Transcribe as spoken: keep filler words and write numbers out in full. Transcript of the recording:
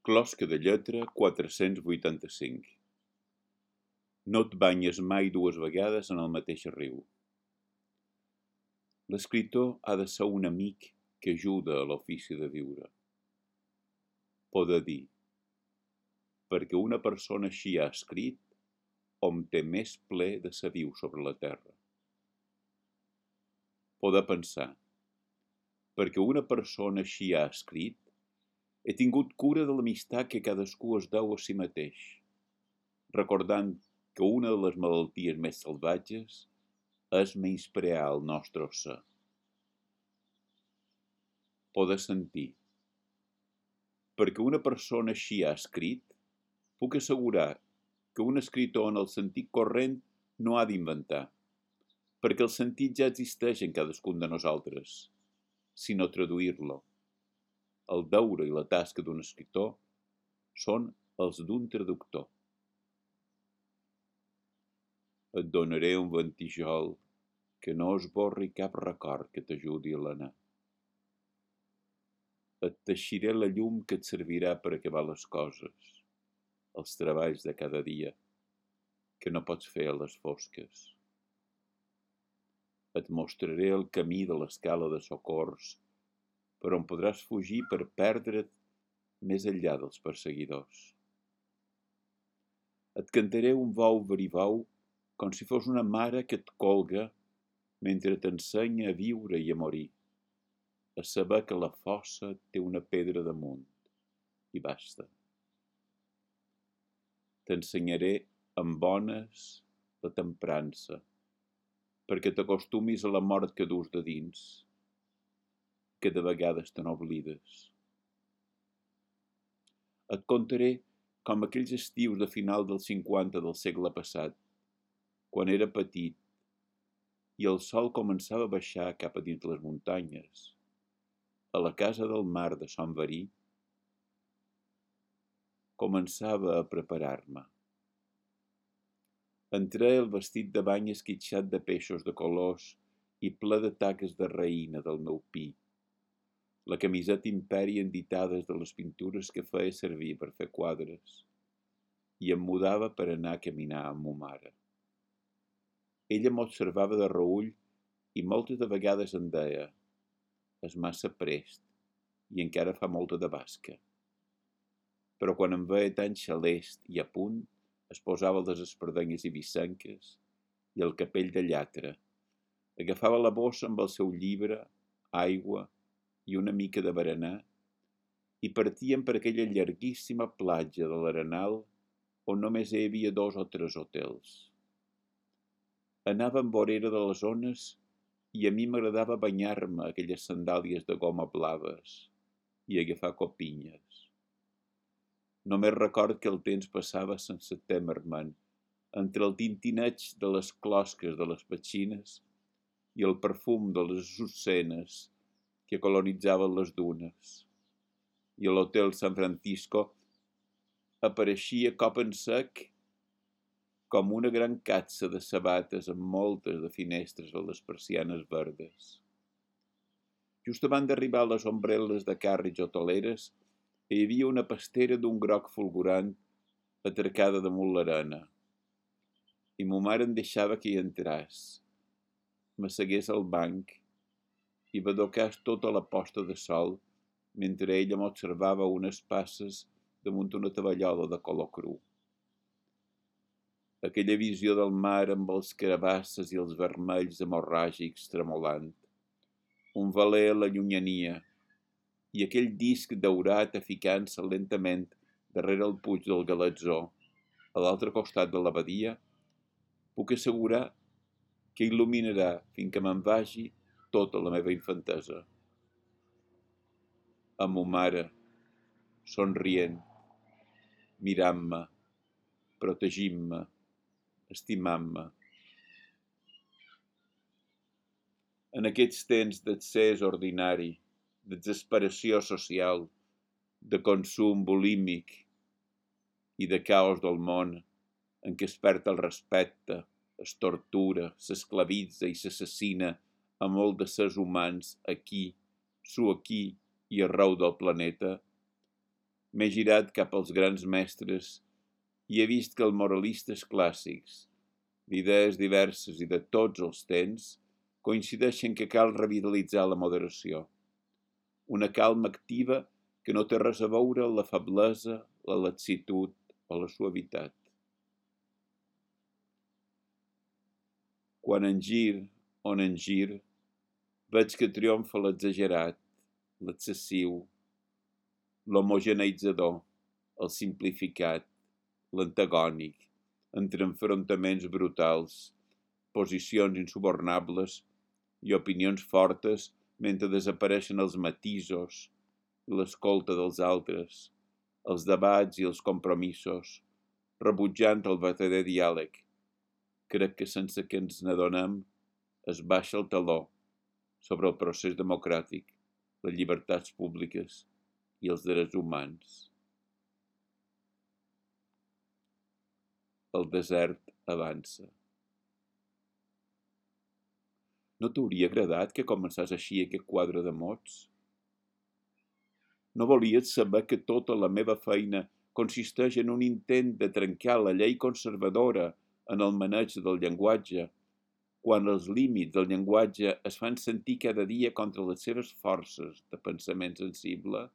Closca de lletra quatre-cents vuitanta-cinc. No et banyes mai dues vegades en el mateix riu. L'escriptor ha de ser un amic que ajuda a l'ofici de viure. Poder dir, perquè una persona així ha escrit, hom té més ple de sa viu sobre la terra. Poder pensar, perquè una persona així ha escrit, he tingut cura de l'amistat que cadascú es deu a si mateix, recordant que una de les malalties més salvatges és menysprear el nostre ser. Poder sentir, perquè una persona així ha escrit, puc assegurar que un escriptor en el sentit corrent no ha d'inventar, perquè el sentit ja existeix en cadascun de nosaltres, sinó traduir-lo. El deure i la tasca d'un escriptor són els d'un traductor. Et donaré un ventijol que no esborri cap record que t'ajudi a l'anar. Et teixiré la llum que et servirà per acabar les coses, els treballs de cada dia, que no pots fer a les fosques. Et mostraré el camí de l'escala de socors, per on podràs fugir per perdre't més enllà dels perseguidors. Et cantaré un vau verivau com si fos una mare que et colga mentre t'ensenya a viure i a morir, a saber que la fossa té una pedra damunt, i basta. T'ensenyaré amb bones la temprança, perquè t'acostumis a la mort que dus de dins, que de vegades te n'oblides. Et contaré com aquells estius de final dels cinquanta del segle passat, quan era petit i el sol començava a baixar cap a dins les muntanyes, a la casa del mar de Sant Verí, començava a preparar-me. Entré el vestit de bany esquitxat de peixos de colors i ple de taques de raïna del meu pi, la camiseta imperi enditades de les pintures que feia servir per fer quadres, i em mudava per anar a caminar amb ma mare. Ella m'observava de reüll i moltes de vegades em deia: és massa prest i encara fa molta de basca. Però quan em veia tan xalest i a punt, es posava les espardenyes ibicenques i el capell de llatra, agafava la bossa amb el seu llibre, aigua i una mica de berenar i partíem per aquella llarguíssima platja de l'Arenal on només hi havia dos o tres hotels. Anàvem vorera de les ones i a mi m'agradava banyar-me aquelles sandàlies de goma blaves i agafar copinyes. Només record que el temps passava sense témer-me'n entre el tintineig de les closques de les petxines i el perfum de les azucenes que colonitzaven les dunes. I a l'hotel San Francisco apareixia cop en sec com una gran catsa de sabates amb moltes de finestres a les persianes verdes. Just abans d'arribar a les ombrel·les de càrrecs hoteleres hi havia una pastera d'un groc fulgurant atracada damunt l'arena. I ma mare em deixava que hi entràs, m'assegués al banc i badocàs tota la posta de sol mentre ella m'observava unes passes damunt una tovallola de color cru. Aquella visió del mar amb els carabasses i els vermells hemorràgics tremolant, un veler a la llunyania i aquell disc daurat aficant-se lentament darrere el puig del Galatzó, a l'altre costat de la badia, puc assegurar que il·luminarà fins que me'n vagi tota la meva infantesa. Amb ma mare, somrient, mirant-me, protegint-me, estimant-me. En aquests temps d'accés ordinari, d'exasperació social, de consum bulímic i de caos del món, en què es perd el respecte, es tortura, s'esclavitza i s'assassina a molt de sers humans aquí, su aquí i arreu del planeta, M'he girat cap als grans mestres i he vist que els moralistes clàssics, d'idees diverses i de tots els temps, coincideixen que cal revitalitzar la moderació, una calma activa que no té res a veure amb la feblesa, la laxitud o la suavitat. Quan en gir, on en gir, veig que triomfa l'exagerat, l'excessiu, l'homogeneitzador, el simplificat, l'antagònic, entre enfrontaments brutals, posicions insubornables i opinions fortes mentre desapareixen els matisos i l'escolta dels altres, els debats i els compromisos, rebutjant el verdader diàleg. Crec que sense que ens n'adonem es baixa el taló sobre el procés democràtic, les llibertats públiques i els drets humans. El desert avança. No t'hauria agradat que començés així aquest quadre de mots? No volies saber que tota la meva feina consisteix en un intent de trencar la llei conservadora en el maneig del llenguatge, quan els límits del llenguatge es fan sentir cada dia contra les seves forces de pensament sensible?